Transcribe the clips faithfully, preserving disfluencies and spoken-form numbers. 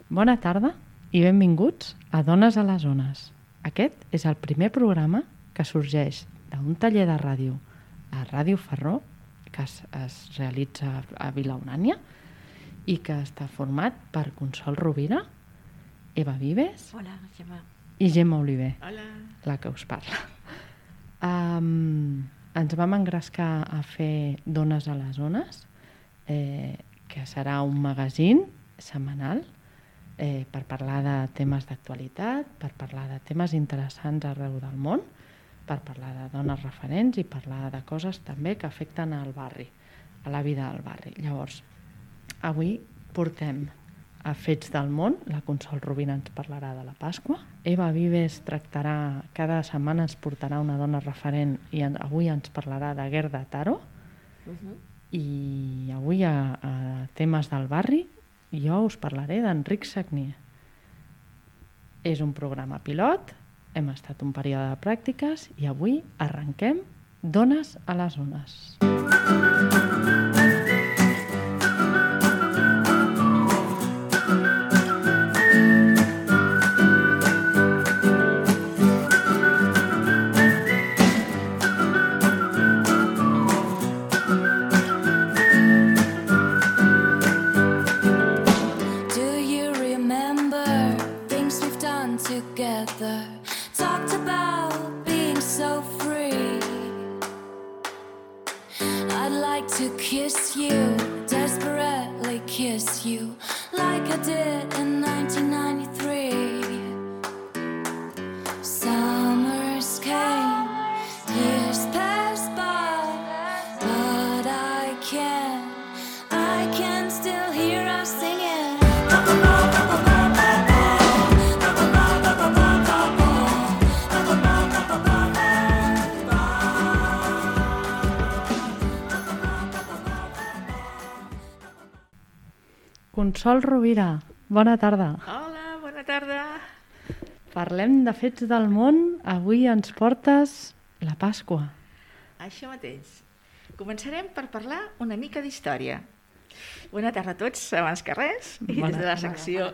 Bona tarda i benvinguts a Dones a les Ones. Aquest és el primer programa que sorgeix d'un taller de ràdio a Ràdio Ferró, que es, es realitza a Vilaurània i que està format per Consol Rovira, Eva Vives Hola, Gemma. i Gemma Oliver, Hola. la que us parla. Um, ens vam engrescar a fer Dones a les Ones, eh, que serà un magazín setmanal eh, per parlar de temes d'actualitat, per parlar de temes interessants arreu del món, per parlar de dones referents i parlar de coses també que afecten al barri, a la vida del barri. Llavors, avui portem a Fets del món, la Consol Rovira ens parlarà de la Pasqua, Eva Vives tractarà, cada setmana ens portarà una dona referent i en, avui ens parlarà de Gerda Taro, uh-huh. i avui a, a temes del barri jo us parlaré d'Enric Sagnier. És un programa pilot, hem estat un període de pràctiques i avui arrenquem Dones a les Ones. Consol Rovira, bona tarda. Hola, bona tarda. Parlem de fets del món. Avui ens portes la Pasqua. Això mateix. Començarem per parlar una mica d'història. Bona tarda a tots, abans que res. I des de la secció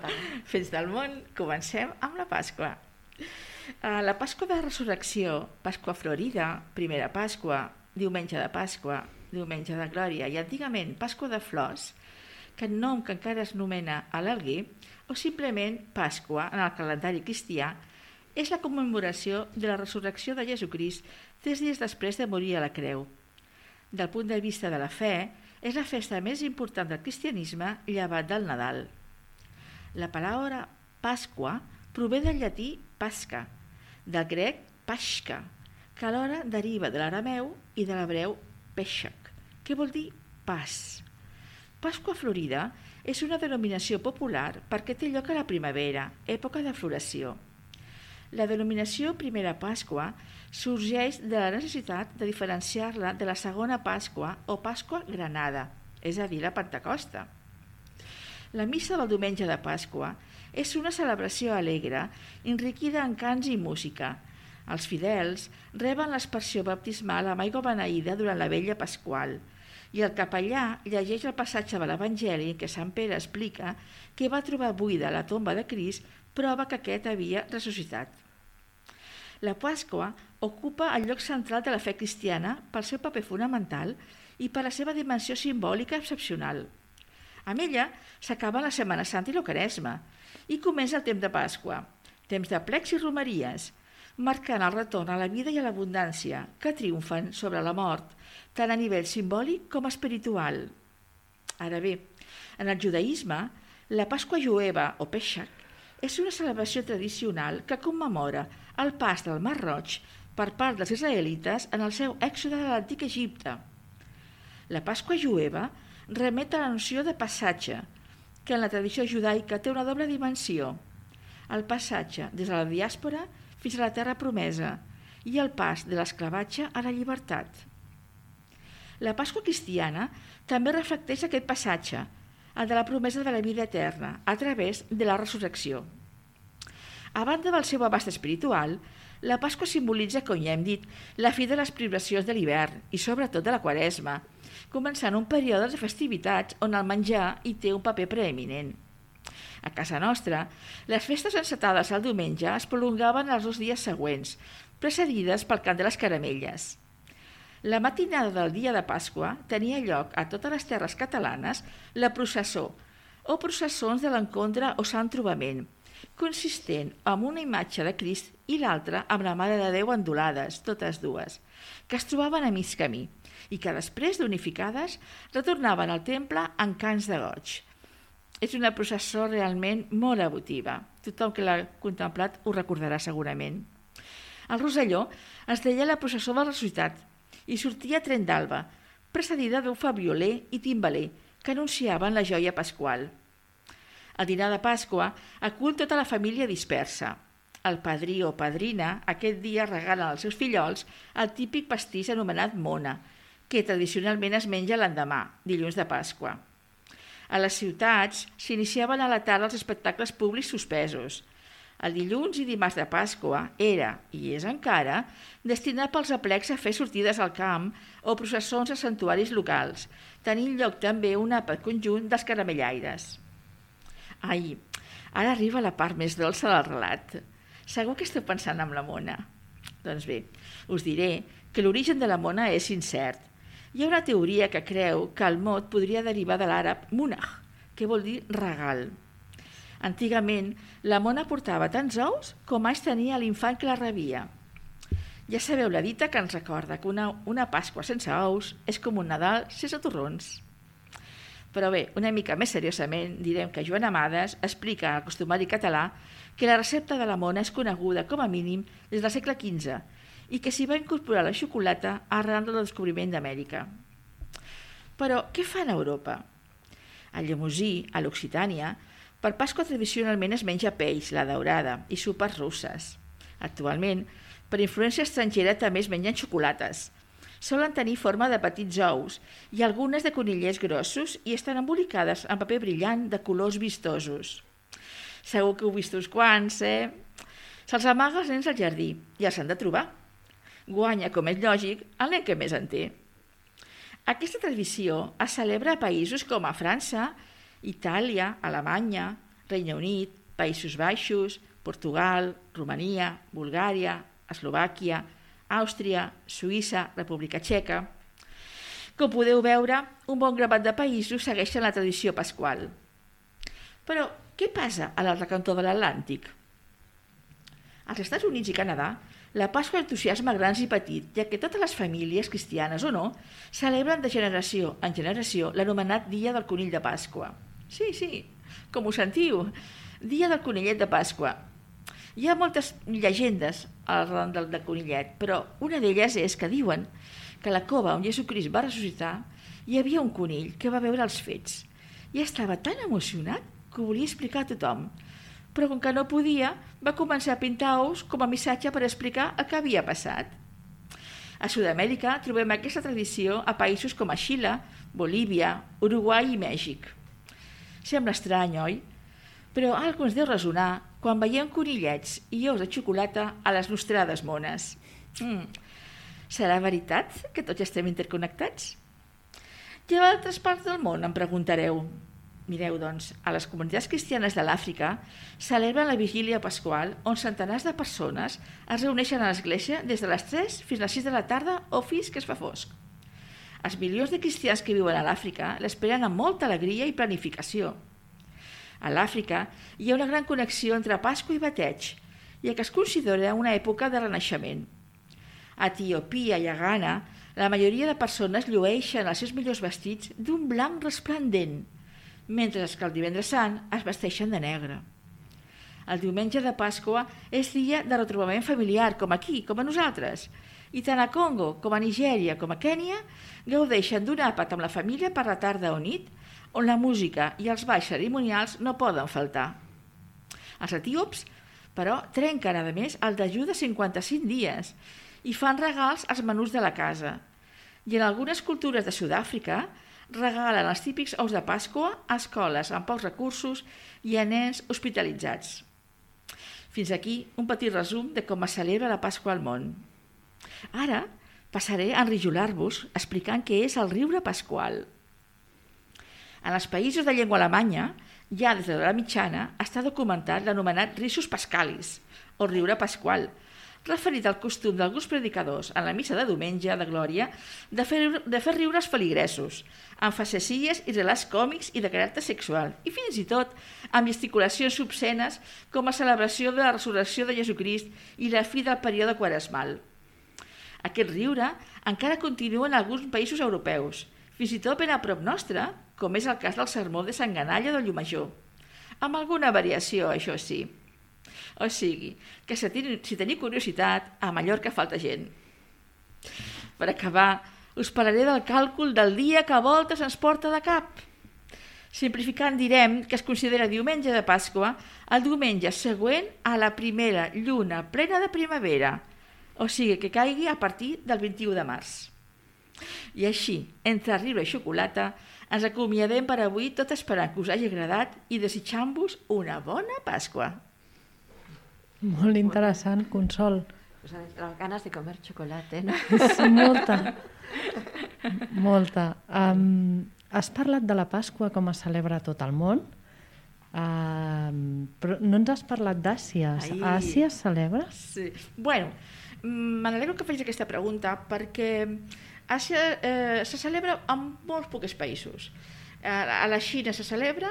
Fets del món comencem amb la Pasqua. La Pasqua de Resurrecció, Pasqua Florida, Primera Pasqua, Diumenge de Pasqua, Diumenge de Glòria i antigament Pasqua de Flors, que el nom que encara es nomena a l'Alguer, o simplement Pasqua en el calendari cristià, és la commemoració de la resurrecció de Jesucrist tres dies després de morir a la creu. Del punt de vista de la fe, és la festa més important del cristianisme llevat del Nadal. La paraula Pasqua prové del llatí pasca, del grec pashka, que alhora deriva de l'arameu i de l'hebreu peshach, que vol dir pas. Pasqua Florida és una denominació popular perquè té lloc a la primavera, època de floració. La denominació Primera Pasqua sorgeix de la necessitat de diferenciar-la de la Segona Pasqua o Pasqua Granada, és a dir, la Pentecosta. La missa del diumenge de Pasqua és una celebració alegre, enriquida en cants i música. Els fidels reben l'aspersió baptismal amb aigua beneïda durant la vella pasqual, i el capellà llegeix el passatge de l'Evangeli en què Sant Pere explica que va trobar buida la tomba de Crist, prova que aquest havia ressuscitat. La Pasqua ocupa el lloc central de la fe cristiana pel seu paper fonamental i per la seva dimensió simbòlica excepcional. Amb ella s'acaba la Setmana Santa i la Quaresma i comença el temps de Pasqua, temps de plecs i romeries, marcant el retorn a la vida i a l'abundància que triomfen sobre la mort, tant a nivell simbòlic com espiritual. Ara bé, en el judaïsme, la Pasqua jueva o Peshach és una celebració tradicional que commemora el pas del Mar Roig per part dels israelites en el seu èxode de l'antic Egipte. La Pasqua jueva remet a la noció de passatge, que en la tradició judaica té una doble dimensió: el passatge des de la diàspora fins a la terra promesa i el pas de l'esclavatge a la llibertat. La Pasqua cristiana també reflecteix aquest passatge, el de la promesa de la vida eterna, a través de la resurrecció. A banda del seu abast espiritual, la Pasqua simbolitza, com ja hem dit, la fi de les privacions de l'hivern i sobretot de la Quaresma, començant un període de festivitats on el menjar hi té un paper preeminent. A casa nostra, les festes encetades el diumenge es prolongaven els dos dies següents, precedides pel cant de les caramelles. La matinada del dia de Pasqua tenia lloc a totes les terres catalanes la processó, o processons de l'encontre o Sant Trobament, consistent en una imatge de Crist i l'altra amb la Mare de Déu endolades, totes dues, que es trobaven a mig camí i que després d'unificades retornaven al temple en cants de goig. És una processó realment molt emotiva. Tothom que l'ha contemplat ho recordarà segurament. El Roselló es deia la processó del Ressuscitat i sortia a Tren d'Alba, precedida d'un fabrioler i timbaler que anunciaven la joia pasqual. El dinar de Pasqua acull tota la família dispersa. El padrí o padrina aquest dia regalen als seus fillols el típic pastís anomenat mona, que tradicionalment es menja l'endemà, dilluns de Pasqua. A les ciutats s'iniciaven a la tarda els espectacles públics suspesos. El dilluns i dimarts de Pasqua era, i és encara, destinat pels aplecs a fer sortides al camp o processons a santuaris locals, tenint lloc també un àpat conjunt dels caramellaires. Ai, ara arriba la part més dolça del relat. Segur que esteu pensant en la mona. Doncs bé, us diré que l'origen de la mona és incert. Hi ha una teoria que creu que el mot podria derivar de l'àrab munah, que vol dir regal. Antigament, la mona portava tants ous com anys tenia l'infant que la rebia. Ja sabeu la dita que ens recorda que una, una Pasqua sense ous és com un Nadal sense torrons. Però bé, una mica més seriosament, direm que Joan Amades explica al costumari català que la recepta de la mona és coneguda com a mínim des del segle quinze i que s'hi va incorporar la xocolata arran del descobriment d'Amèrica. Però què fan a Europa? A Llemosí, a l'Occitània, per Pasqua tradicionalment es menja peix, la daurada, i sopes russes. Actualment, per influència estrangera també es mengen xocolates. Solen tenir forma de petits ous i algunes de conillers grossos i estan embolicades en paper brillant de colors vistosos. Segur que heu vist uns quants, eh? Se'ls amaga als nens al jardí i els han de trobar. Guanya, com és lògic, el nen que més en té. Aquesta tradició es celebra a països com a França, Itàlia, Alemanya, Regne Unit, Països Baixos, Portugal, Romania, Bulgària, Eslovàquia, Àustria, Suïssa, República Txeca. Com podeu veure, un bon grapat de països segueixen la tradició pasqual. Però què passa a l'altre cantó de l'Atlàntic? Als Estats Units i Canadà, la Pasqua entusiasma grans i petits, ja que totes les famílies, cristianes o no, celebren de generació en generació l'anomenat Dia del Conill de Pasqua. Sí, sí, com ho sentiu, Dia del Conillet de Pasqua. Hi ha moltes llegendes al ron del, del conillet, però una d'elles és que diuen que a la cova on Jesucrist va ressuscitar hi havia un conill que va veure els fets i estava tan emocionat que ho volia explicar a tothom, però com que no podia, va començar a pintar ous com a missatge per explicar el que havia passat. A Sud-amèrica trobem aquesta tradició a països com a Xile, Bolívia, Uruguai i Mèxic. Sembla estrany, oi? Però algú ens deu resonar quan veiem conillets i ous de xocolata a les nostrades mones. Mm. Serà veritat que tots estem interconnectats? I a altres parts del món, em preguntareu. Mireu, doncs, a les comunitats cristianes de l'Àfrica celebren la vigília pasqual on centenars de persones es reuneixen a l'església des de les tres fins a les sis de la tarda o fins que es fa fosc. Els milions de cristians que viuen a l'Àfrica l'esperen amb molta alegria i planificació. A l'Àfrica hi ha una gran connexió entre Pasqua i bateig, ja que es considera una època de renaixement. A Etiòpia i a Ghana, la majoria de persones llueixen els seus millors vestits d'un blanc resplendent, mentre que el divendres sant es vesteixen de negre. El diumenge de Pasqua és dia de retrobament familiar, com aquí, com a nosaltres, i tant a Congo com a Nigèria com a Kènia gaudeixen d'un àpat amb la família per la tarda o nit, on la música i els balls cerimonials no poden faltar. Els etíops, però, trenquen a més el dejú de cinquanta-cinc dies i fan regals als menús de la casa. I en algunes cultures de Sud-àfrica regalen els típics ous de Pasqua a escoles amb pocs recursos i a nens hospitalitzats. Fins aquí un petit resum de com es celebra la Pasqua al món. Ara passaré a enrijolar-vos explicant què és el riure pasqual. En els països de llengua alemanya, Ja des de la mitjana està documentat l'anomenat risus pascalis, o riure pasqual, referit al costum d'alguns predicadors en la missa de diumenge de Glòria de fer, de fer riure els feligresos, amb facecilles i relats còmics i de caràcter sexual, i fins i tot amb gesticulacions obscenes com a celebració de la resurrecció de Jesucrist i la fi del període quaresmal. Aquest riure encara continua en alguns països europeus, fins i tot ben a prop nostre, com és el cas del sermó de Sant Ganalla de Llumajor, amb alguna variació, això sí. O sigui, que si teniu curiositat, a Mallorca falta gent. Per acabar, us parlaré del càlcul del dia que a voltes ens porta de cap. Simplificant direm que es considera diumenge de Pasqua el diumenge següent a la primera lluna plena de primavera, o sigui que caigui a partir del vint-i-u de març. I així, entre riure i xocolata, ens acomiadem per avui tot esperant que us hagi agradat i desitjant-vos una bona Pasqua. Molt interessant, Consol. Pues las ganas de comer chocolate, ¿no? Molta, molta. Um, has parlat de la Pasqua com es celebra a tot el món, um, però no ens has parlat d'Àsia. A Àsia es celebra? Sí. Bueno, m'alegro que facis aquesta pregunta perquè Àsia eh, se celebra en molts pocs països. A la Xina se celebra,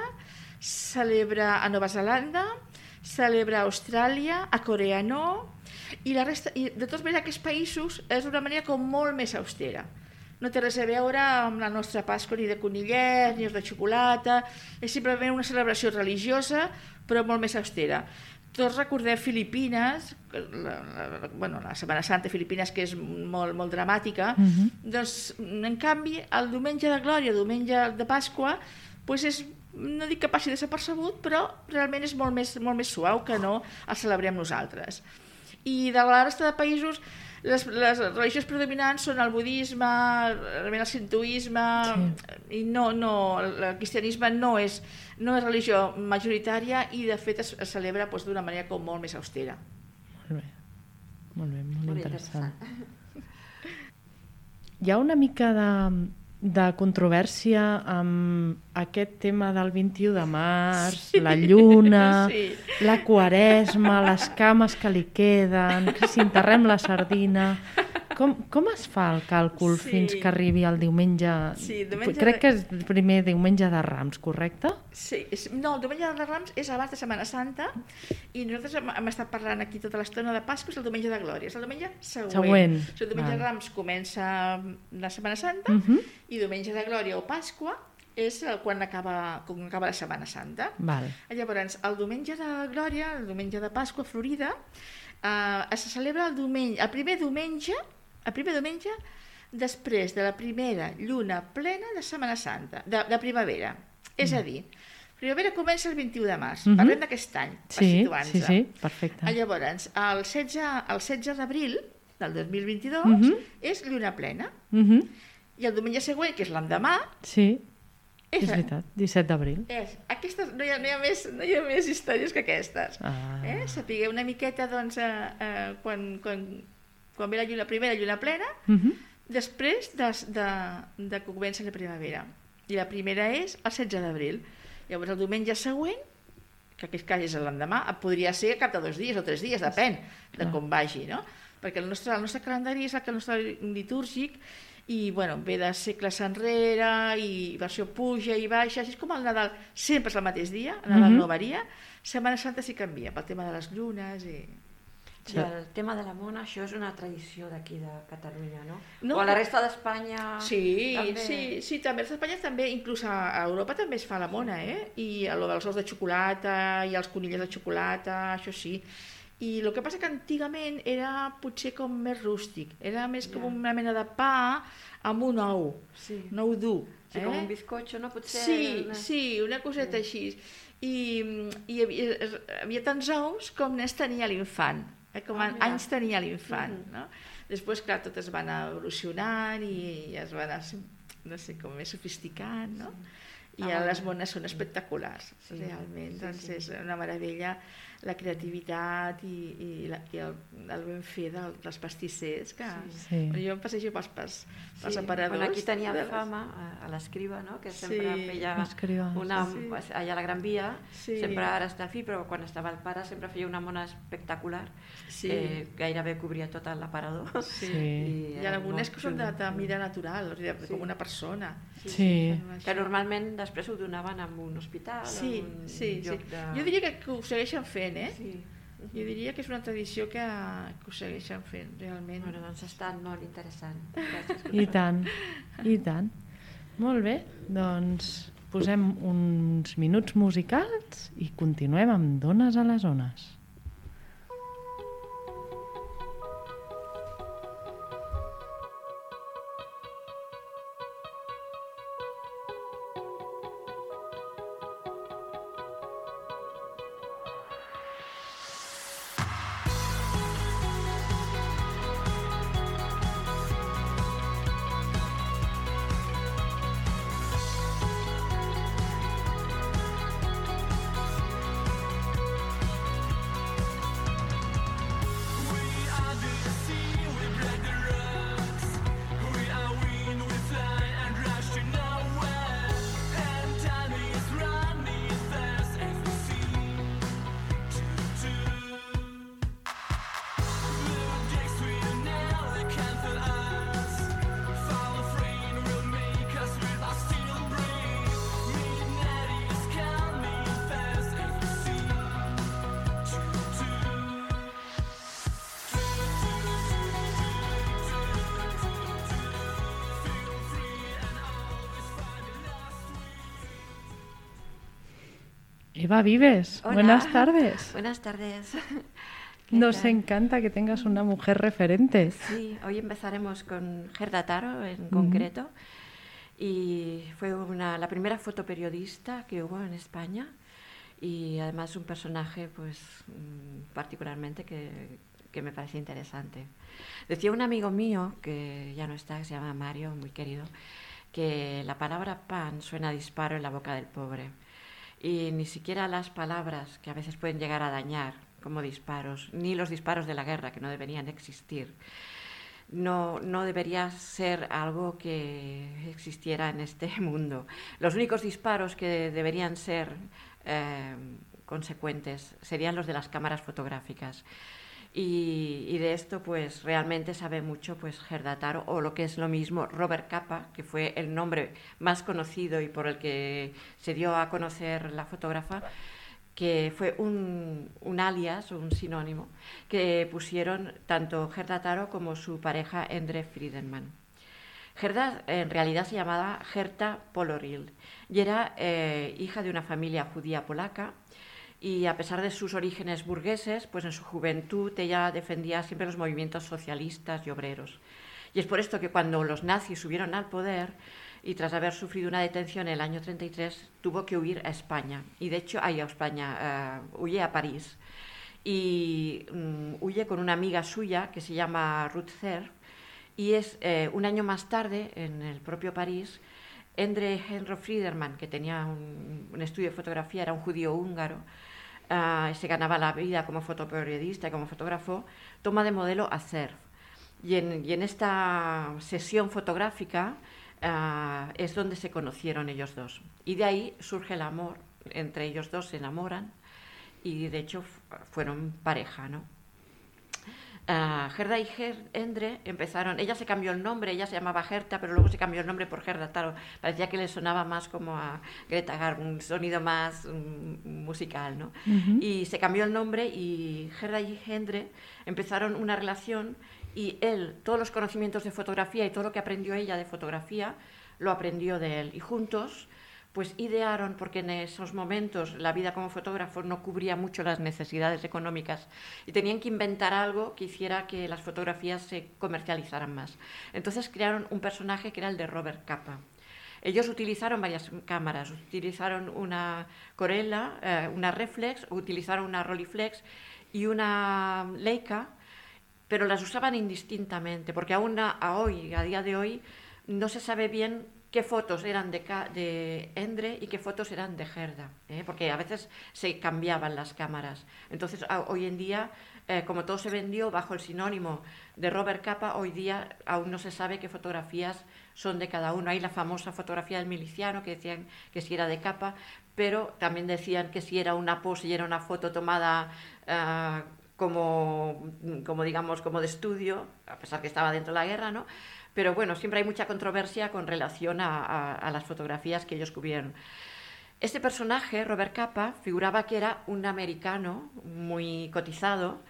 celebra a Nova Zelanda, celebra a Austràlia, a Corea no, i, la resta, i de totes maneres aquests països és d'una manera com molt més austera. No té res a veure amb la nostra Pasqua ni de conillet, ni de xocolata, és simplement una celebració religiosa, però molt més austera. Tots recordem Filipines, la, la, bueno, la Setmana Santa de Filipines, que és molt, molt dramàtica, uh-huh. Doncs, en canvi, el diumenge de Glòria, el diumenge de Pasqua, doncs és, no dic que passi desapercebut, però realment és molt més, molt més suau que no el celebrem nosaltres. I de la resta de països, les, les religions predominants són el budisme, el sintoisme, sí. I no, no, el cristianisme no és, no és religió majoritària i de fet es, es celebra doncs, d'una manera com molt més austera. Molt bé, molt bé, molt, molt interessant. interessant. Hi ha una mica de... de controvèrsia amb aquest tema del vint-i-u de març, sí. La lluna, sí. La quaresma, les cames que li queden, si enterrem la sardina... Com, com es fa el càlcul sí. Fins que arribi el diumenge... Sí, diumenge... Crec que és el primer diumenge de Rams, correcte? Sí, és... no, el diumenge de Rams és abans de Setmana Santa i nosaltres hem, hem estat parlant aquí tota l'estona de Pasqua, és el diumenge de Glòria, és el diumenge següent. següent. O sigui, el diumenge Val. de Rams comença la Setmana Santa uh-huh. i diumenge de Glòria o Pasqua és quan acaba, quan acaba la Setmana Santa. Val. Llavors, el diumenge de Glòria, el diumenge de Pasqua Florida, eh, se celebra el diumenge, el primer diumenge el primer diumenge després de la primera lluna plena de Setmana Santa, de, de primavera. És a dir, primavera comença el vint-i-u de març, uh-huh. Parlem d'aquest any, per sí, situar-nos. Sí, sí, perfecte. Llavors, el setze, el setze d'abril del dos mil vint-i-dos uh-huh. és lluna plena. Uh-huh. I el diumenge següent, que és l'endemà... Sí, és, és veritat, disset d'abril. És, aquestes, no, hi ha, no, hi ha més, no hi ha més històries que aquestes. Ah. Eh? Sapigueu una miqueta, doncs, eh, eh, quan... quan quan ve la lluna, primera lluna plena, uh-huh. després de, de, de que comença la primavera. I la primera és el setze d'abril. Llavors el diumenge següent, que en aquest cas és l'endemà, podria ser cap de dos dies o tres dies, depèn de Clar. com vagi, no? Perquè el nostre, el nostre calendari és el, el nostre litúrgic i bueno, ve de segles enrere i versió puja i baixa, així com el Nadal sempre és el mateix dia, el Nadal uh-huh. no varia, Setmana Santa sí canvia pel tema de les llunes i... I el tema de la mona, això és una tradició d'aquí de Catalunya, no? no o a la resta d'Espanya sí, també? Sí, sí, també a Espanya també, inclús a Europa també es fa la mona, eh? I el dels ous de xocolata i els conilles de xocolata, això sí. I el que passa que antigament era potser com més rústic, era més com una mena de pa amb un ou, sí. un ou dur. Sí, eh? Com un bizcocho, no? Potser sí, una... sí, una coseta sí. així. I, i hi havia, hi havia tants ous com n'és tenia l'infant. Eh, com ah, anys tenia l'infant, mm-hmm. no? Després, clar, tot es va anar evolucionant i es va anar, no sé, com més sofisticant, no? i ah, les mones són espectaculars, sí, realment, sí, doncs sí. És una meravella la creativitat i, i, la, i el, el ben fer del, dels pastissers, que sí. Jo em passejo pels, pels, pels sí. aparadors. Bueno, aquí tenia les... fama a l'escriba, no? Que sempre sí. feia una, sí. allà a la Gran Via, sí. sempre ara està al fi, però quan estava el pare sempre feia una mona espectacular, sí. que gairebé cobria tot l'aparador. Sí. I, I algunes que són de, de mida natural, o sigui, sí. com una persona. Sí. Sí. Que normalment després ho donaven en un hospital, sí, en un sí, lloc sí. de... Jo diria que, que ho segueixen fent, eh? Sí. Jo diria que és una tradició que, que ho segueixen fent, realment. Bueno, doncs ha estat molt interessant. Gràcies. I tant, i tant. Molt bé, doncs posem uns minuts musicals i continuem amb Dones a les Ones. Eva Vives, hola. Buenas tardes. Buenas tardes. Nos tal? Encanta que tengas una mujer referente. Sí, hoy empezaremos con Gerda Taro en concreto. Uh-huh. Y fue una, la primera fotoperiodista que hubo en España y además un personaje pues particularmente que, que me parece interesante. Decía un amigo mío, que ya no está, que se llama Mario, muy querido, que la palabra pan suena a disparo en la boca del pobre. Y ni siquiera las palabras que a veces pueden llegar a dañar como disparos, ni los disparos de la guerra que no deberían existir, no, no debería ser algo que existiera en este mundo. Los únicos disparos que deberían ser eh, consecuentes serían los de las cámaras fotográficas. Y, y de esto pues realmente sabe mucho pues Gerda Taro, o lo que es lo mismo Robert Capa, que fue el nombre más conocido y por el que se dio a conocer la fotógrafa, que fue un, un alias o un sinónimo que pusieron tanto Gerda Taro como su pareja Endre Friedemann. Gerda en realidad se llamaba Gerta Poloril y era eh, hija de una familia judía polaca. Y a pesar de sus orígenes burgueses, pues en su juventud ella defendía siempre los movimientos socialistas y obreros. Y es por esto que cuando los nazis subieron al poder, y tras haber sufrido una detención en el año treinta y tres, tuvo que huir a España. Y de hecho, ahí a España, uh, huye a París. Y um, huye con una amiga suya que se llama Ruth Zer. Y es eh, un año más tarde, en el propio París, Endre Henro Friedemann, que tenía un, un estudio de fotografía, era un judío húngaro, Uh, se ganaba la vida como fotoperiodista y como fotógrafo, toma de modelo a Zer. Y en, y en esta sesión fotográfica uh, es donde se conocieron ellos dos. Y de ahí surge el amor, entre ellos dos se enamoran y de hecho fueron pareja, ¿no? Uh, Gerda y Ger Endre empezaron, ella se cambió el nombre, ella se llamaba Gerta, pero luego se cambió el nombre por Gerda Taro, parecía que le sonaba más como a Greta Garbo, un sonido más um, musical, ¿no? Uh-huh. Y se cambió el nombre y Gerda y Endre empezaron una relación y él, todos los conocimientos de fotografía y todo lo que aprendió ella de fotografía, lo aprendió de él. Y juntos pues idearon, porque en esos momentos la vida como fotógrafo no cubría mucho las necesidades económicas y tenían que inventar algo que hiciera que las fotografías se comercializaran más. Entonces crearon un personaje que era el de Robert Capa. Ellos utilizaron varias cámaras, utilizaron una Corella, eh, una Reflex, utilizaron una Rolleiflex y una Leica, pero las usaban indistintamente, porque aún a, a hoy, a día de hoy, no se sabe bien qué fotos eran de, de Endre y qué fotos eran de Gerda, ¿eh? Porque a veces se cambiaban las cámaras. Entonces, a, hoy en día, eh, como todo se vendió bajo el sinónimo de Robert Capa, hoy día aún no se sabe qué fotografías son de cada uno. Hay la famosa fotografía del miliciano que decían que si era de Capa, pero también decían que si era una pose y era una foto tomada uh, como, como, digamos, como de estudio, a pesar que estaba dentro de la guerra, ¿no? Pero bueno, siempre hay mucha controversia con relación a, a, a las fotografías que ellos cubrieron. Este personaje, Robert Capa, figuraba que era un americano muy cotizado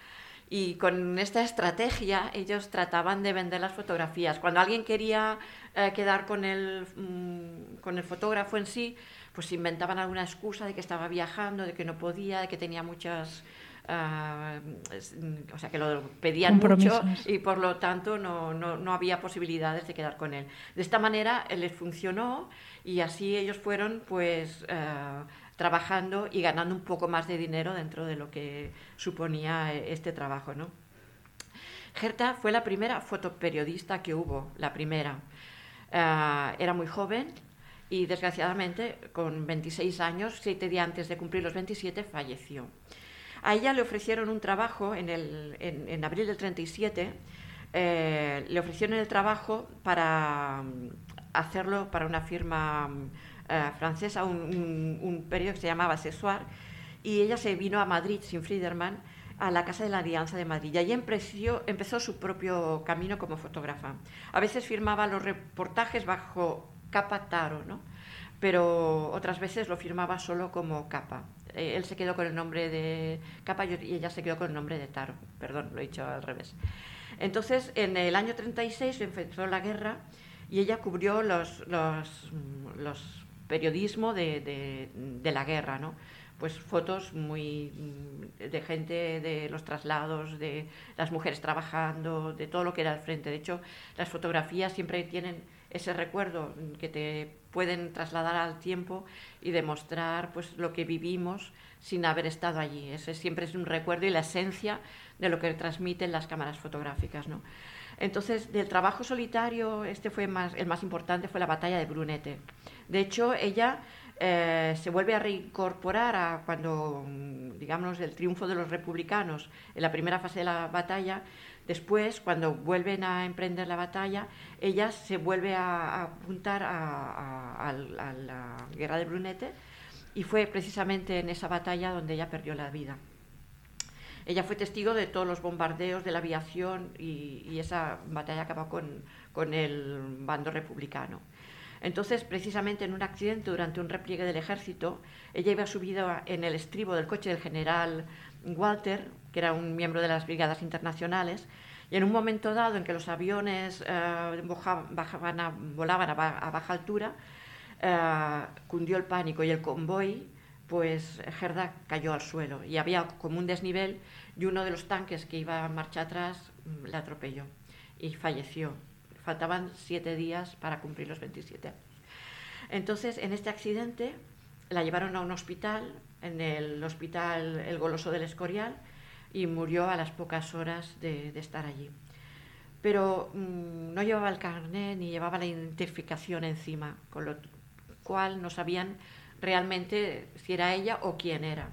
y con esta estrategia ellos trataban de vender las fotografías. Cuando alguien quería eh, quedar con el, mmm, con el fotógrafo en sí, pues inventaban alguna excusa de que estaba viajando, de que no podía, de que tenía muchas... Uh, o sea que lo pedían mucho y por lo tanto no, no, no había posibilidades de quedar con él. De esta manera les funcionó y así ellos fueron pues uh, trabajando y ganando un poco más de dinero dentro de lo que suponía este trabajo, ¿no? Gerda fue la primera fotoperiodista que hubo, la primera. Uh, era muy joven y desgraciadamente con veintiséis años, siete días antes de cumplir los veintisiete, falleció. A ella le ofrecieron un trabajo en, el, en, en abril del treinta y siete, eh, le ofrecieron el trabajo para hacerlo para una firma eh, francesa, un, un, un periódico que se llamaba Accessoire, y ella se vino a Madrid sin Friedman, a la Casa de la Alianza de Madrid, y allí empezó, empezó su propio camino como fotógrafa. A veces firmaba los reportajes bajo Capa Taro, ¿no? Pero otras veces lo firmaba solo como Capa. Eh, él se quedó con el nombre de Capa y ella se quedó con el nombre de Taro. Perdón, lo he dicho al revés. Entonces, en el año treinta y seis empezó la guerra y ella cubrió los, los, los periodismo de, de, de la guerra, ¿no? Pues fotos muy de gente, de los traslados, de las mujeres trabajando, de todo lo que era al frente. De hecho, las fotografías siempre tienen ese recuerdo que te pueden trasladar al tiempo y demostrar pues lo que vivimos sin haber estado allí. Ese siempre es un recuerdo y la esencia de lo que transmiten las cámaras fotográficas, ¿no? Entonces, del trabajo solitario, este fue más, el más importante, fue la batalla de Brunete. De hecho, ella eh, se vuelve a reincorporar a cuando, digamos, el triunfo de los republicanos en la primera fase de la batalla. Después, cuando vuelven a emprender la batalla, ella se vuelve a, a apuntar a, a, a, a la guerra de Brunete y fue precisamente en esa batalla donde ella perdió la vida. Ella fue testigo de todos los bombardeos de la aviación y, y esa batalla acabó con, con el bando republicano. Entonces, precisamente en un accidente durante un repliegue del ejército, ella iba subida en el estribo del coche del general Walter, que era un miembro de las brigadas internacionales, y en un momento dado en que los aviones eh, bajaban a, volaban a, a baja altura, eh, cundió el pánico y el convoy, pues Gerda cayó al suelo y había como un desnivel y uno de los tanques que iba a marcha atrás la atropelló y falleció. Faltaban siete días para cumplir los veintisiete años. Entonces, en este accidente la llevaron a un hospital, en el hospital El Goloso del Escorial, y murió a las pocas horas de, de estar allí. Pero mmm, no llevaba el carnet ni llevaba la identificación encima, con lo cual no sabían realmente si era ella o quién era.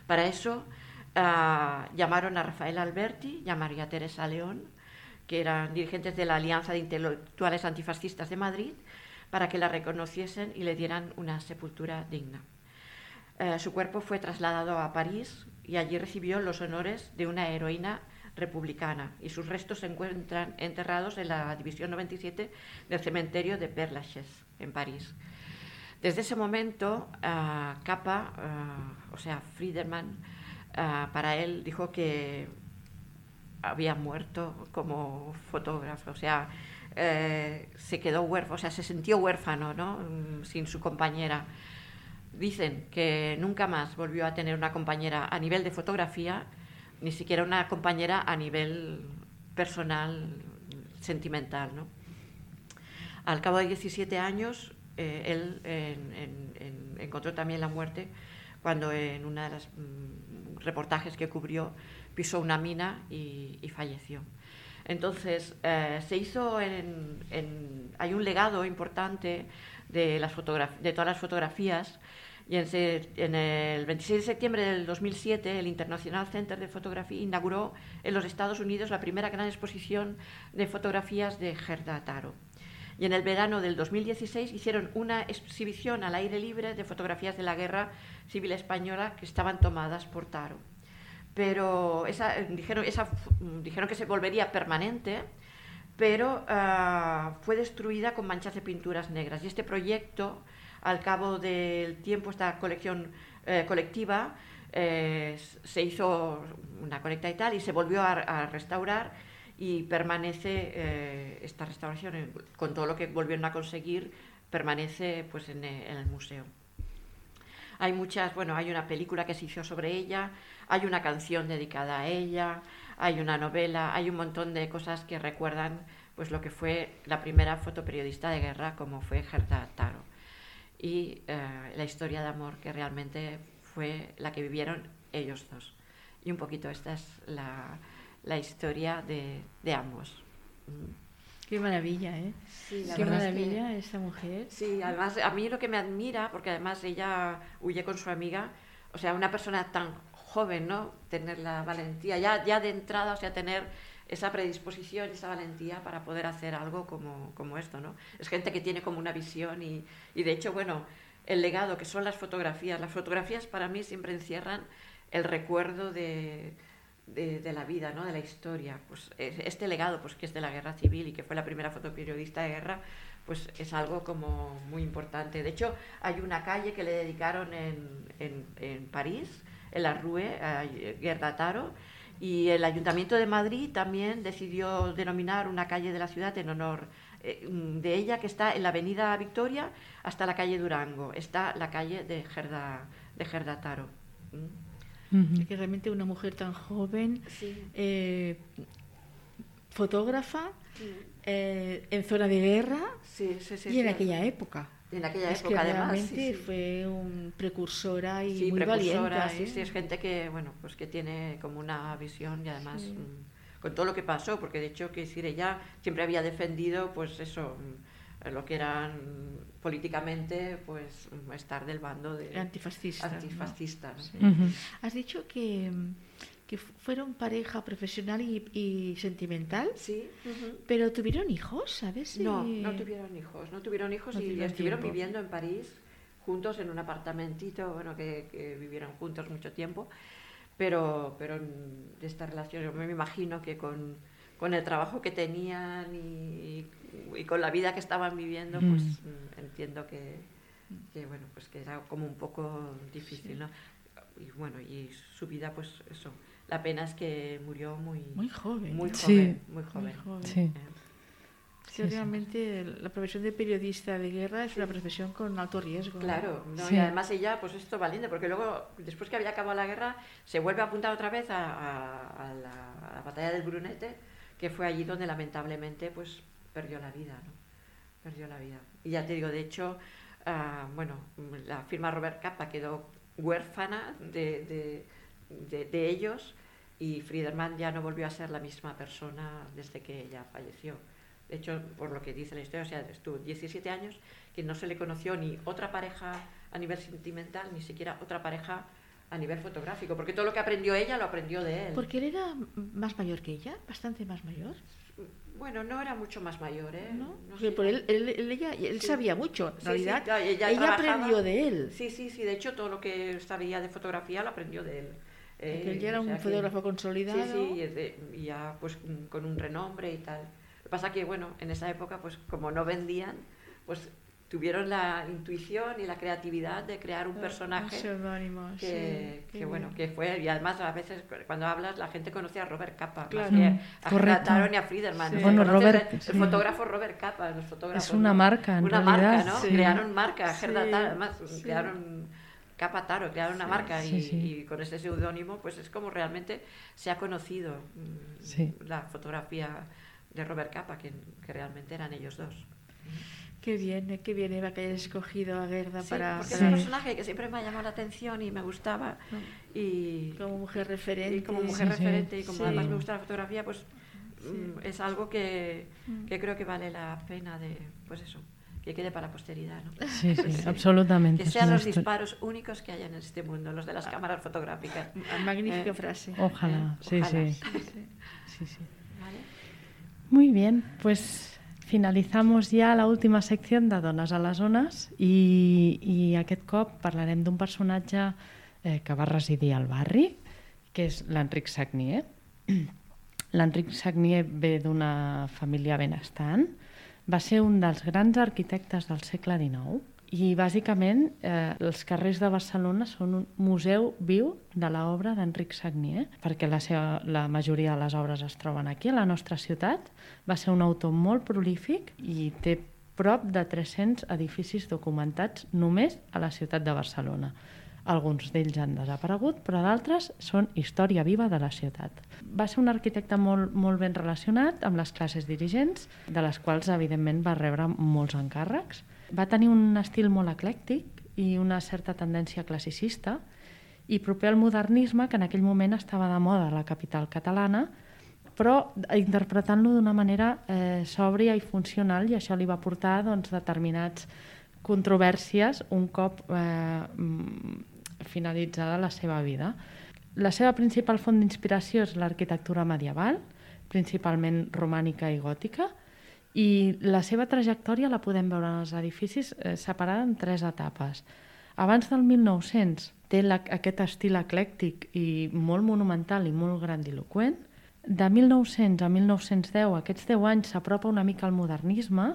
Para eso uh, llamaron a Rafael Alberti y a María Teresa León, que eran dirigentes de la Alianza de Intelectuales Antifascistas de Madrid, para que la reconociesen y le dieran una sepultura digna. Uh, su cuerpo fue trasladado a París y allí recibió los honores de una heroína republicana y sus restos se encuentran enterrados en la División noventa y siete del cementerio de Père Lachaise, en París. Desde ese momento, uh, Capa, uh, o sea, Friedman, uh, para él dijo que había muerto como fotógrafo, o sea, eh, se quedó huérfano, o sea, se sintió huérfano, ¿no? Sin su compañera. Dicen que nunca más volvió a tener una compañera a nivel de fotografía, ni siquiera una compañera a nivel personal, sentimental, ¿no? Al cabo de diecisiete años, eh, él en, en, en, encontró también la muerte cuando en uno de los mm, reportajes que cubrió pisó una mina y, y falleció. Entonces, eh, se hizo en, en... Hay un legado importante de, las fotograf- de todas las fotografías, y en, se, en el veintiséis de septiembre del dos mil siete el International Center de Photography inauguró en los Estados Unidos la primera gran exposición de fotografías de Gerda Taro. Y en el verano del dos mil dieciséis hicieron una exhibición al aire libre de fotografías de la Guerra Civil Española que estaban tomadas por Taro. Pero esa, dijeron, esa, dijeron que se volvería permanente, pero uh, fue destruida con manchas de pinturas negras. Y este proyecto, al cabo del tiempo, esta colección eh, colectiva, eh, se hizo una colecta y tal, y se volvió a, a restaurar, y permanece eh, esta restauración, eh, con todo lo que volvieron a conseguir, permanece pues en, en el museo. Hay muchas, bueno, hay una película que se hizo sobre ella, hay una canción dedicada a ella, hay una novela, hay un montón de cosas que recuerdan pues lo que fue la primera fotoperiodista de guerra, como fue Gerda Taro, y eh, la historia de amor que realmente fue la que vivieron ellos dos. Y un poquito esta es la, la historia de, de ambos. Qué maravilla, ¿eh? Sí, Qué maravilla es que, esta mujer. Sí, además a mí lo que me admira, porque además ella huye con su amiga, o sea, una persona tan joven, ¿no? Tener la valentía, ya, ya de entrada, o sea, tener esa predisposición, esa valentía para poder hacer algo como, como esto, ¿no? Es gente que tiene como una visión y, y de hecho, bueno, el legado que son las fotografías, las fotografías para mí siempre encierran el recuerdo de... De, de la vida, ¿no? De la historia. Pues este legado, pues que es de la guerra civil y que fue la primera fotoperiodista de guerra, pues es algo como muy importante. De hecho, hay una calle que le dedicaron en, en, en París, en la Rue, a Gerda Taro, y el Ayuntamiento de Madrid también decidió denominar una calle de la ciudad en honor eh, de ella, que está en la Avenida Victoria hasta la calle Durango. Está la calle de Gerda, de Gerda Taro. ¿Mm? Uh-huh. Que realmente una mujer tan joven, sí. eh, fotógrafa, sí. eh, en zona de guerra, sí, sí, sí, y en sí. aquella época. En aquella es época, que además, realmente sí, sí. fue un precursora y sí, muy precursora, valiente. Sí, ¿eh? sí, es gente que, bueno, pues que tiene como una visión y además sí. mmm, con todo lo que pasó, porque de hecho, que decir, ella siempre había defendido, pues eso, lo que eran políticamente, pues estar del bando de antifascista. Antifascista, ¿no? ¿no? Sí. Uh-huh. Has dicho que, que fueron pareja profesional y, y sentimental. Sí. Uh-huh. Pero ¿tuvieron hijos, sabes? No, no tuvieron hijos, no tuvieron hijos no y estuvieron tiempo. viviendo en París juntos en un apartamentito, bueno, que, que vivieron juntos mucho tiempo, pero, pero de esta relación yo me imagino que con con el trabajo que tenían y, y con la vida que estaban viviendo, pues mm. entiendo que, que bueno, pues que era como un poco difícil, ¿no? Y bueno, y su vida, pues eso, la pena es que murió muy muy joven, muy ¿no? joven, sí. muy joven. Muy joven. Sí. Eh. Sí, sí, realmente sí. La profesión de periodista de guerra es sí. una profesión con alto riesgo. Claro, ¿no? Sí. Y además ella, pues esto valiente, porque luego, después que había acabado la guerra, se vuelve a apuntar otra vez a, a, a, la, a la batalla del Brunete, que fue allí donde lamentablemente pues perdió la vida, ¿no? Perdió la vida. Y ya te digo, de hecho, uh, bueno, la firma Robert Capa quedó huérfana de, de, de, de ellos, y Friedemann ya no volvió a ser la misma persona desde que ella falleció. De hecho, por lo que dice la historia, o sea, estuvo diecisiete años que no se le conoció ni otra pareja a nivel sentimental, ni siquiera otra pareja a nivel fotográfico, porque todo lo que aprendió ella lo aprendió de él. ¿Porque él era más mayor que ella? ¿Bastante más mayor? Bueno, no era mucho más mayor, ¿eh? ¿No? No sé. Por él, él, él, ella, él sí. sabía mucho, en sí, realidad. Sí, ella ella aprendió de él. Sí, sí, sí, de hecho todo lo que sabía de fotografía lo aprendió de él. Eh, él ya era un fotógrafo que, consolidado. Sí, sí, y, de, y ya pues con un renombre y tal. Lo que pasa que, bueno, en esa época, pues como no vendían, pues tuvieron la intuición y la creatividad de crear un personaje pseudónimo, que, sí, que bueno, que fue, y además a veces cuando hablas la gente conoce a Robert Capa, claro. más que a Gerda Taro ni a Friedemann. Sí. ¿no? Bueno, Robert, el, sí. el fotógrafo Robert Capa, los fotógrafos, es una ¿no? marca, en una realidad. marca, ¿no? Sí. Crearon marca, Gerda sí. Taro, además sí. crearon Capa Taro, crearon una sí. marca sí, y, sí. y con ese seudónimo pues es como realmente se ha conocido sí. la fotografía de Robert Capa, que, que realmente eran ellos dos. Qué bien, qué bien, Eva, que hayas escogido a Gerda sí, para... porque para... es un personaje que siempre me ha llamado la atención y me gustaba. No. Y como mujer referente. Y como mujer sí, referente sí. y como sí. además me gusta la fotografía, pues sí. es algo que, que creo que vale la pena de, pues eso, que quede para la posteridad, ¿no? Sí, sí, sí, absolutamente. Que sean los disparos únicos que haya en este mundo, los de las cámaras fotográficas. Magnífica eh, frase. Ojalá, sí, Ojalá. sí. Sí, sí. sí, sí. ¿Vale? Muy bien, pues finalizamos ja la última secció de Dones a les Ones i, i aquest cop parlarem d'un personatge eh, que va residir al barri, que és l'Enric Sagnier. L'Enric Sagnier ve d'una família benestant, va ser un dels grans arquitectes del segle dinou i bàsicament eh, els carrers de Barcelona són un museu viu de l'obra d'Enric Sagnier, perquè la, seva, la majoria de les obres es troben aquí a la nostra ciutat. Va ser un autor molt prolífic i té prop de tres-cents edificis documentats només a la ciutat de Barcelona. Alguns d'ells han desaparegut, però d'altres són història viva de la ciutat. Va ser un arquitecte molt, molt ben relacionat amb les classes dirigents, de les quals, evidentment, va rebre molts encàrrecs. Va tenir un estil molt eclèctic i una certa tendència classicista i proper al modernisme, que en aquell moment estava de moda a la capital catalana, però interpretant-lo d'una manera eh, sòbria i funcional, i això li va portar doncs, determinats controvèrsies un cop eh, finalitzada la seva vida. La seva principal font d'inspiració és l'arquitectura medieval, principalment romànica i gòtica, i la seva trajectòria la podem veure en els edificis eh, separada en tres etapes. Abans del mil nou-cents té la, aquest estil eclèctic i molt monumental i molt grandiloqüent. De mil nou-cents a mil nou-cents deu, aquests deu anys, s'apropa una mica al modernisme,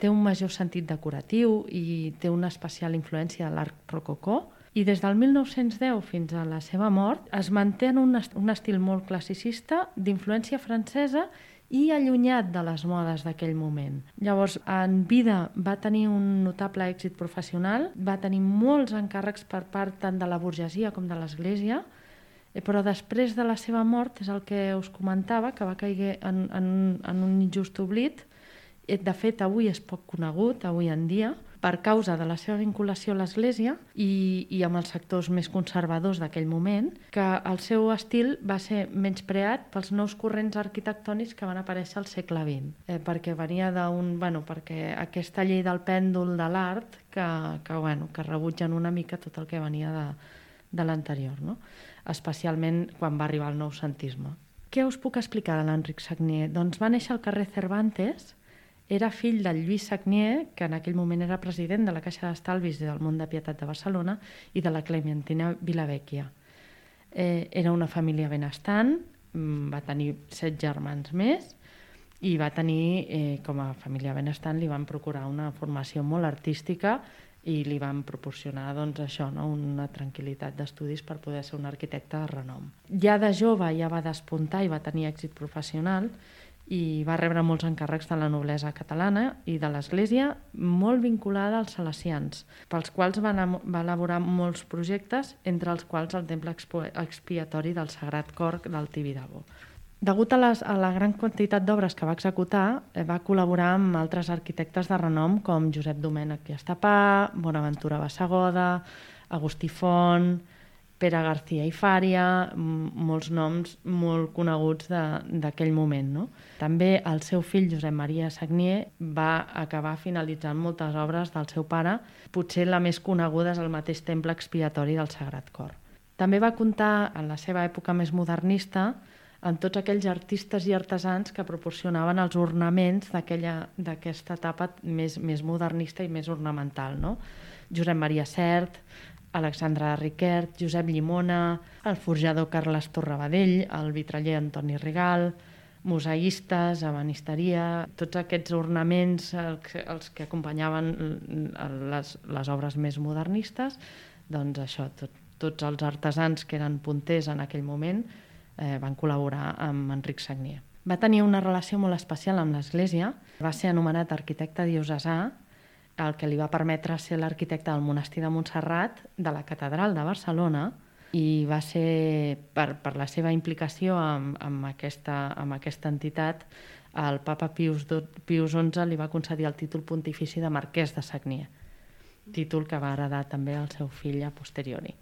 té un major sentit decoratiu i té una especial influència de l'art rococó, i des del mil nou-cents deu fins a la seva mort es manté en un, est un estil molt classicista d'influència francesa i allunyat de les modes d'aquell moment. Llavors, en vida va tenir un notable èxit professional, va tenir molts encàrrecs per part tant de la burgesia com de l'Església, però després de la seva mort, és el que us comentava, que va caiguer en, en, en un injust oblit. De fet, avui és poc conegut, avui en dia, per causa de la seva vinculació a l'Església i, i amb els sectors més conservadors d'aquell moment, que el seu estil va ser menyspreat pels nous corrents arquitectònics que van aparèixer al segle vint, eh, perquè venia d'un... Bueno, perquè aquesta llei del pèndol de l'art que, que, bueno, que rebutgen una mica tot el que venia de, de l'anterior, no? Especialment quan va arribar el noucentisme. Què us puc explicar de l'Enric Sagnier? Doncs va néixer al carrer Cervantes. Era fill del Lluís Sagnier, que en aquell moment era president de la Caixa d'Estalvis del Mont de Pietat de Barcelona, i de la Clementina Vilavecchia. Eh, era una família benestant, va tenir set germans més, i va tenir, eh, com a família benestant, li van procurar una formació molt artística i li van proporcionar doncs, això, no? Una tranquil·litat d'estudis per poder ser un arquitecte de renom. Ja de jove ja va despuntar i va tenir èxit professional, i va rebre molts encàrrecs de la noblesa catalana i de l'Església, molt vinculada als salesians, pels quals va, va elaborar molts projectes, entre els quals el temple expiatori del Sagrat Cor del Tibidabo. Degut a, les, a la gran quantitat d'obres que va executar, eh, va col·laborar amb altres arquitectes de renom com Josep Domènech i Estapà, Bonaventura Bassegoda, Agustí Font, Pere García i Fària, molts noms molt coneguts d'aquell moment, no? També el seu fill Josep Maria Sagnier va acabar finalitzant moltes obres del seu pare, potser la més coneguda és el mateix temple expiatori del Sagrat Cor. També va comptar, en la seva època més modernista, amb tots aquells artistes i artesans que proporcionaven els ornaments d'aquesta etapa més, més modernista i més ornamental, no? Josep Maria Sert, Alexandre de Riquert, Josep Llimona, el forjador Carles Torrabadell, el vitraller Antoni Rigal, museistes, ebenisteria, tots aquests ornaments els, els que acompanyaven les, les obres més modernistes, doncs això, tot, tots els artesans que eren punters en aquell moment eh, van col·laborar amb Enric Sagnier. Va tenir una relació molt especial amb l'Església, va ser anomenat arquitecte diocesà, el que li va permetre ser l'arquitecte del monestir de Montserrat, de la catedral de Barcelona, i va ser, per, per la seva implicació amb, amb, aquesta, amb aquesta entitat, el papa Pius, Pius onze li va concedir el títol pontifici de marquès de Sagnier, títol que va heredar també el seu fill a posteriori.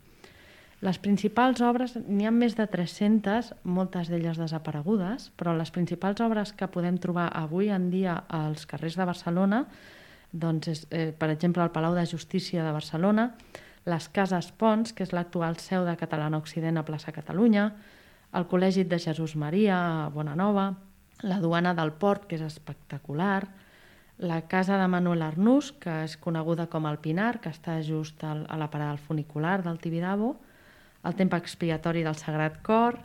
Les principals obres, n'hi ha més de tres-centes, moltes d'elles desaparegudes, però les principals obres que podem trobar avui en dia als carrers de Barcelona, doncs és, eh, per exemple, el Palau de Justícia de Barcelona, les Cases Pons, que és l'actual seu de Catalana Occident a plaça Catalunya, el Col·legi de Jesús Maria a Bonanova, la Duana del Port, que és espectacular, la casa de Manuel Arnús, que és coneguda com el Pinar, que està just al, a la parada del funicular del Tibidabo, el temple expiatori del Sagrat Cor,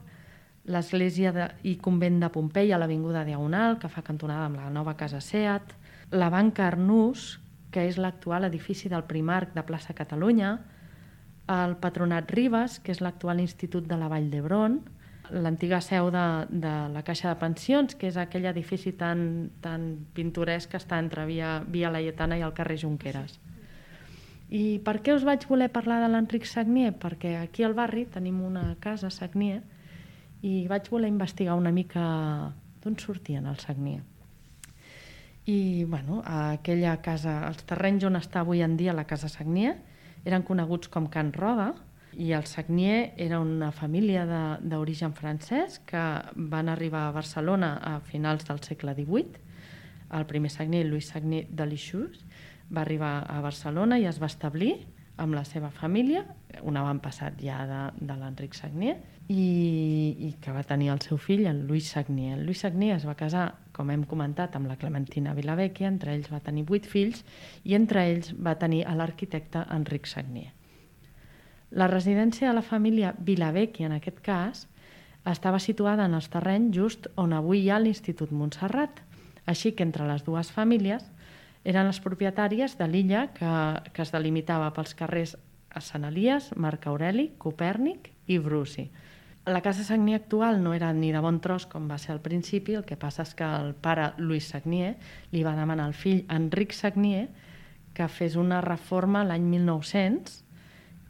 l'església de, i convent de Pompeia a l'avinguda Diagonal, que fa cantonada amb la nova casa Seat, la Banca Arnús, que és l'actual edifici del Primarc de plaça Catalunya, el Patronat Ribes, que és l'actual Institut de la Vall d'Hebron, l'antiga seu de, de la Caixa de Pensions, que és aquell edifici tan, tan pintoresc que està entre Via, Via Laietana i el carrer Junqueras. I per què us vaig voler parlar de l'Enric Sagnier? Perquè aquí al barri tenim una casa Sagnier i vaig voler investigar una mica d'on sortien els Sagnier. I bueno, aquella casa, els terrenys on està avui en dia la casa Sagnier eren coneguts com Can Roda, i el Sagnier era una família d'origen francès que van arribar a Barcelona a finals del segle divuit. El primer Sagnier, Louis Sagnier de Lixús, va arribar a Barcelona i es va establir amb la seva família, un avantpassat ja de, de l'Enric Sagnier, i, i que va tenir el seu fill, el Louis Sagnier. El Louis Sagnier es va casar, com hem comentat, amb la Clementina Vilavecchia, entre ells va tenir vuit fills, i entre ells va tenir l'arquitecte Enric Sagnier. La residència de la família Vilavecchia, en aquest cas, estava situada en els terrenys just on avui hi ha l'Institut Montserrat, així que entre les dues famílies eren les propietàries de l'illa que, que es delimitava pels carrers a Sant Elies, Marc Aureli, Copèrnic i Brusi. La casa Sagnier actual no era ni de bon tros com va ser al principi, el que passa és que el pare Louis Sagnier li va demanar al fill Enric Sagnier que fes una reforma l'any mil nou-cents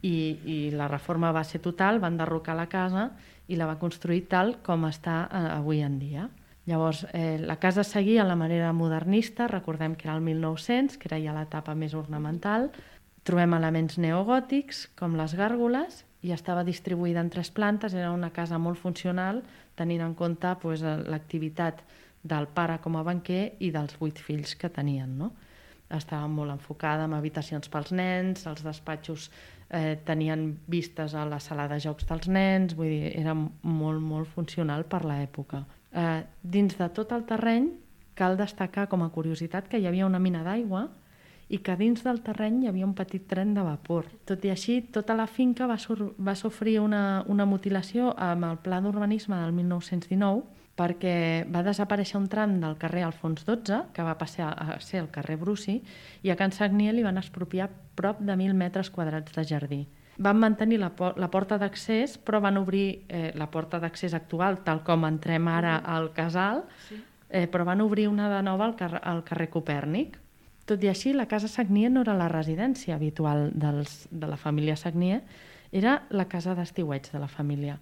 i, i la reforma va ser total, van enderrocar la casa i la va construir tal com està eh, avui en dia. Llavors, eh, la casa seguia la manera modernista, recordem que era el mil nou-cents, que era ja l'etapa més ornamental. Trobem elements neogòtics, com les gàrgoles, i estava distribuïda en tres plantes, era una casa molt funcional, tenint en compte pues, l'activitat del pare com a banquer i dels vuit fills que tenien. No? Estava molt enfocada en habitacions pels nens, els despatxos eh, tenien vistes a la sala de jocs dels nens, vull dir, era molt, molt funcional per l'època. Eh, dins de tot el terreny cal destacar com a curiositat que hi havia una mina d'aigua i que dins del terreny hi havia un petit tren de vapor. Tot i així, tota la finca va, sur va sofrir una, una mutilació amb el pla d'urbanisme del mil nou-cents dinou perquè va desaparèixer un tram del carrer Alfons dotze, que va passar a ser el carrer Brusi, i a Can Sagnier li van expropiar prop de mil metres quadrats de jardí. Van mantenir la, por la porta d'accés, però van obrir eh, la porta d'accés actual, tal com entrem ara al casal, eh, però van obrir una de nova al, car al carrer Copèrnic. Tot i així, la casa Sagnier no era la residència habitual dels, de la família Sagnier, era la casa d'estiueig de la família.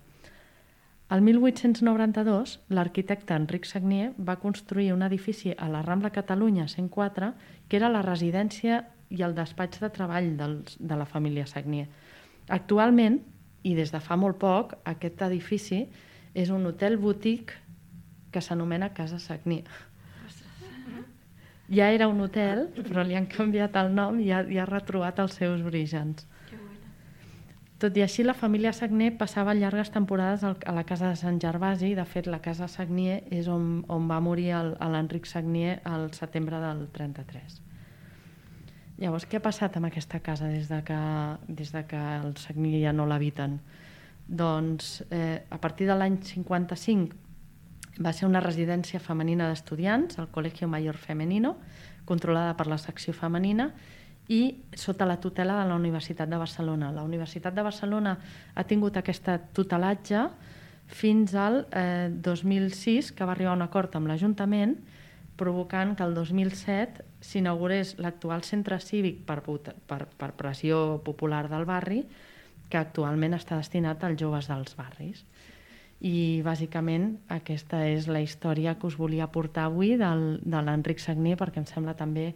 El mil vuit-cents noranta-dos, l'arquitecte Enric Sagnier va construir un edifici a la Rambla Catalunya cent quatre, que era la residència i el despatx de treball dels, de la família Sagnier. Actualment, i des de fa molt poc, aquest edifici és un hotel boutique que s'anomena Casa Sagnier. Ja era un hotel, però li han canviat el nom i ha, i ha retrobat els seus orígens. Tot i així, la família Sagnier passava llargues temporades a la casa de Sant Gervasi. De fet, la casa Sagnier és on, on va morir l'Enric Sagnier al setembre del trenta-tres. Llavors, què ha passat amb aquesta casa des de que, des de que el Sagnier ja no l'habiten? Doncs, eh, a partir de l'any cinquanta-cinc va ser una residència femenina d'estudiants, el Colegio Mayor Femenino, controlada per la secció femenina i sota la tutela de la Universitat de Barcelona. La Universitat de Barcelona ha tingut aquest tutelatge fins al eh, dos mil sis, que va arribar a un acord amb l'Ajuntament, provocant que el dos mil set s'inaugurés l'actual centre cívic per, per, per pressió popular del barri, que actualment està destinat als joves dels barris. I bàsicament aquesta és la història que us volia portar avui del, de l'Enric Sagnier, perquè em sembla també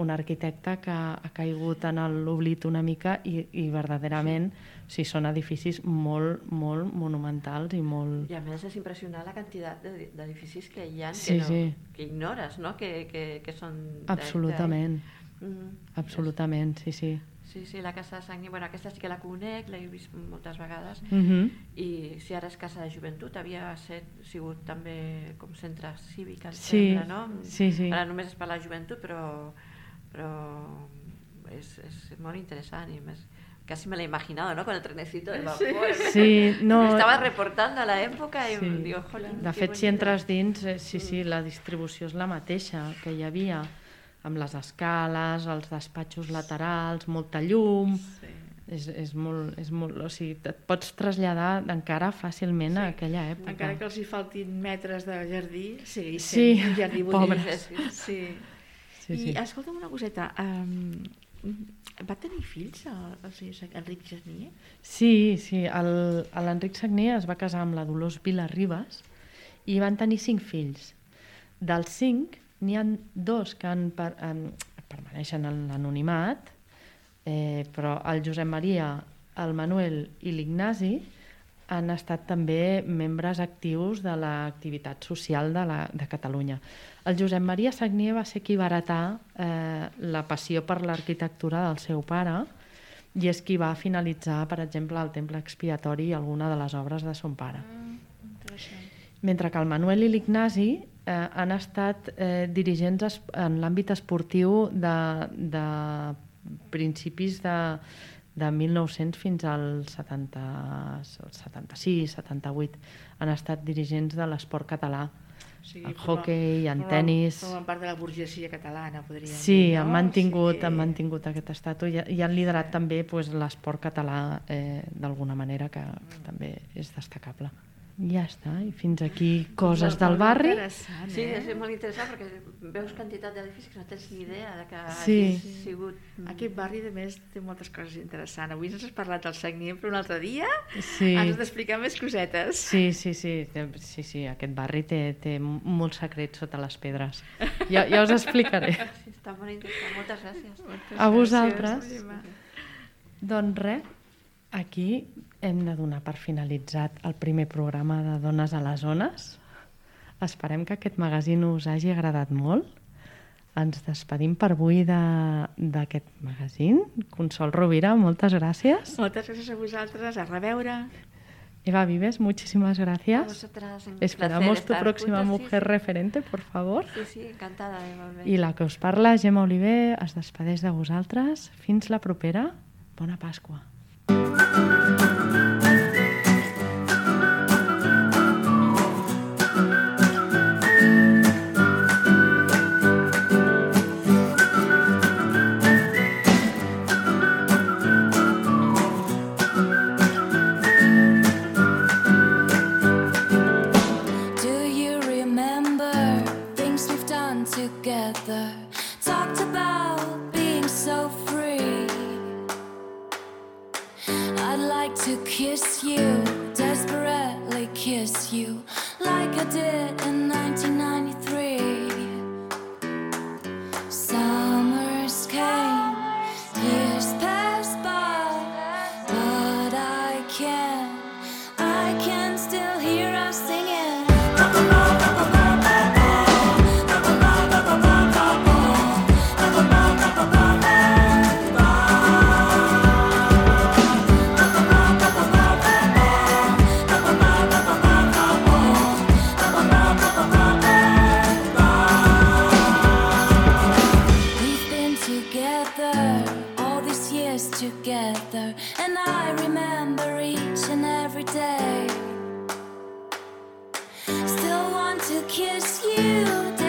un arquitecte que ha caigut en l'oblit una mica i, i verdaderament sí. o sigui, són edificis molt, molt monumentals i molt... I a més és impressionant la quantitat d'edificis que hi ha sí, que, no, sí. que ignores, no? que, que, que són... Absolutament, mm, absolutament, sí, sí. Sí, sí, la Casa de Sagnier, bueno, aquesta sí que la conec, l'he vist moltes vegades, uh -huh. i si ara és Casa de Joventut, havia set, sigut també com centre cívic, em sí, sembla, no? Sí, sí. Ara només és per la joventut, però, però és, és molt interessant i més... Casi me lo he imaginado, ¿no? Con el trenecito de vapor. Sí, no... Me estava reportant a l'època i sí. em diu, jolín, de fet, si entres dins, eh, sí, sí, la distribució és la mateixa que hi havia, amb les escales, els despatxos laterals, molta llum... Sí. És, és molt, és molt, o sigui, et pots traslladar encara fàcilment sí. a aquella època. Encara que els hi faltin metres de jardí, segueix sí. sent un jardí pobres. Sí. Sí. Sí, I sí. escolta'm una coseta, um, va tenir fills el, el senyor Enric Sagnier? Sí, sí, l'Enric Sagnier es va casar amb la Dolors Vilarribas i van tenir cinc fills. Dels cinc, n'hi ha dos que han per, um, permaneixen en l'anonimat, eh, però el Josep Maria, el Manuel i l'Ignasi han estat també membres actius de l'activitat social de, la, de Catalunya. El Josep Maria Sagnier va ser qui va heretar eh, la passió per l'arquitectura del seu pare i és qui va finalitzar, per exemple, el Temple Expiatori i alguna de les obres de son pare. Mm, Mentre que el Manuel i l'Ignasi eh, han estat eh, dirigents en l'àmbit esportiu de, de principis de, de mil nou-cents fins al setanta, setanta-sis, setanta-vuit. Han estat dirigents de l'esport català, sí, en hoquei, en tenis... Formen part de la burgesia catalana, podríem sí, dir, no? han mantingut, sí. han mantingut aquest estatus i, i han liderat sí. també pues, l'esport català eh, d'alguna manera, que mm. també és destacable. I ja està, i fins aquí coses del barri. Eh? Sí, és molt interessant perquè veus quantitat d'edificis que no tens ni idea de que sí. hagi sigut... Aquest barri, a més, té moltes coses interessants. Avui ens has parlat del Sagnier, però un altre dia sí. ens has d'explicar més cosetes. Sí, sí, sí, sí, sí. Aquest barri té, té molts secrets sota les pedres. Ja, ja us explicaré. Sí, està molt interessant. Moltes gràcies. Moltes A vosaltres. Gràcies. Doncs res, aquí hem de donar per finalitzat el primer programa de Dones a les Ones. Esperem que aquest magazín us hagi agradat molt. Ens despedim per avui d'aquest magazín. Consol Rovira, moltes gràcies. Moltes gràcies a vosaltres, a reveure. Eva Vives, muchísimas gracias. A vosotras, un Esperamos tu próxima juntos, mujer sí, referente, por favor. Sí, sí, encantada de volver. I la que us parla, Gemma Oliver, es despedeix de vosaltres. Fins la propera. Bona Pasqua. Together, talked about being so free. I'd like to kiss you, desperately kiss you, like I did in nineteen ninety-three. Summers came, years passed by, but I can't, I can still hear us singing. Together, and I remember each and every day. Still want to kiss you.